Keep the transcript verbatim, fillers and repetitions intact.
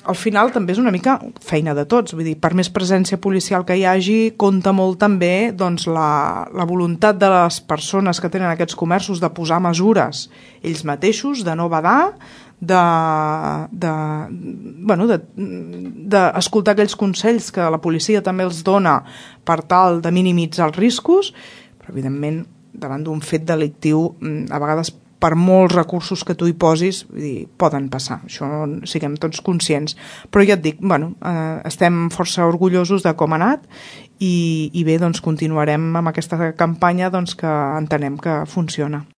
al final també és una mica feina de tots, vull dir, per més presència policial que hi hagi, compta molt també doncs, la, la voluntat de les persones que tenen aquests comerços de posar mesures ells mateixos, de no badar, de, de, bueno, de, de escoltar aquells consells que la policia també els dona per tal de minimitzar els riscos, però evidentment davant d'un fet delictiu a vegades per molts recursos que tu hi posis, vull dir, poden passar, això siguem tots conscients. Però ja et dic, bueno, eh, estem força orgullosos de com ha anat i, i bé, doncs continuarem amb aquesta campanya doncs, que entenem que funciona.